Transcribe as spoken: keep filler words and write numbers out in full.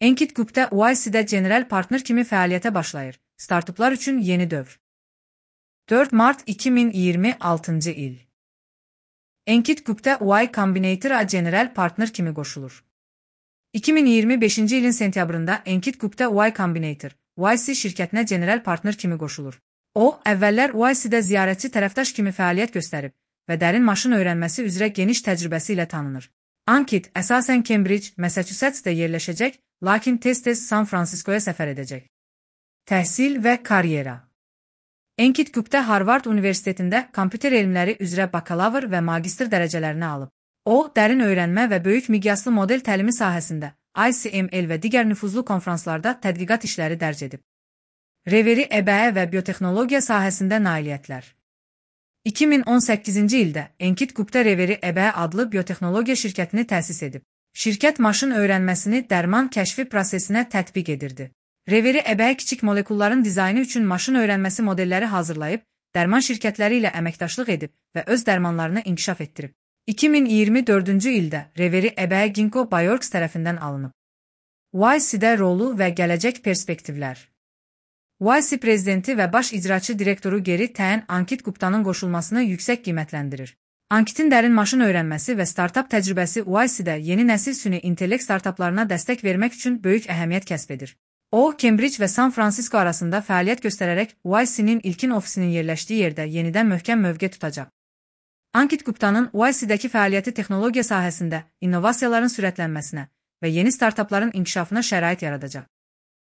Ankit Gupta Y C-də general partner kimi fəaliyyətə başlayır. Startuplar üçün yeni dövr. dörd mart iki min iyirmi altıncı il. Ankit Gupta Y Combinator-a general partner kimi qoşulur. iki min iyirmi beşinci ilin sentyabrında Ankit Gupta Y Combinator, Y C şirkətinə general partner kimi qoşulur. O, əvvəllər Y C-də ziyarətçi tərəfdaş kimi fəaliyyət göstərib və dərin maşın öyrənməsi üzrə geniş təcrübəsi ilə tanınır. Ankit əsasən Cambridge, Massachusetts-də yerləşəcək, lakin tez-tez San Franciscoya səfər edəcək. Təhsil və karyera. Ankit Gupta Harvard Universitetində kompüter elmləri üzrə bakalavr və magistr dərəcələrini alıb. O, dərin öyrənmə və böyük miqyaslı model təlimi sahəsində I C M L və digər nüfuzlu konfranslarda tədqiqat işləri dərc edib. Reveri əbəyə və biotexnologiya sahəsində nailiyyətlər. iki min on səkkizinci ildə Ankit Gupta Reveri əbəyə adlı biotexnologiya şirkətini təsis edib. Şirkət maşın öyrənməsini dərman kəşfi prosesinə tətbiq edirdi. Reveri əbəyə kiçik molekulların dizaynı üçün maşın öyrənməsi modelləri hazırlayıb, dərman şirkətləri ilə əməkdaşlıq edib və öz dərmanlarını inkişaf etdirib. iki min iyirmi dördüncü ildə Reveri əbəyə Ginkgo Bioworks tərəfindən alınıb. Y C-də rolu və gələcək perspektivlər. Y C prezidenti və baş icraçı direktoru Geri Tən Ankit Guptanın qoşulmasını yüksək qiymətləndirir. Ankitin dərin maşın öyrənməsi və startup təcrübəsi Y C-də yeni nəsil süni intellekt startuplarına dəstək vermək üçün böyük əhəmiyyət kəsb edir. O, Cambridge və San Francisco arasında fəaliyyət göstərərək Y C-nin ilkin ofisinin yerləşdiyi yerdə yenidən möhkəm mövqe tutacaq. Ankit Guptanın Y C-dəki fəaliyyəti texnologiya sahəsində innovasiyaların sürətlənməsinə və yeni startupların inkişafına şərait yaradacaq.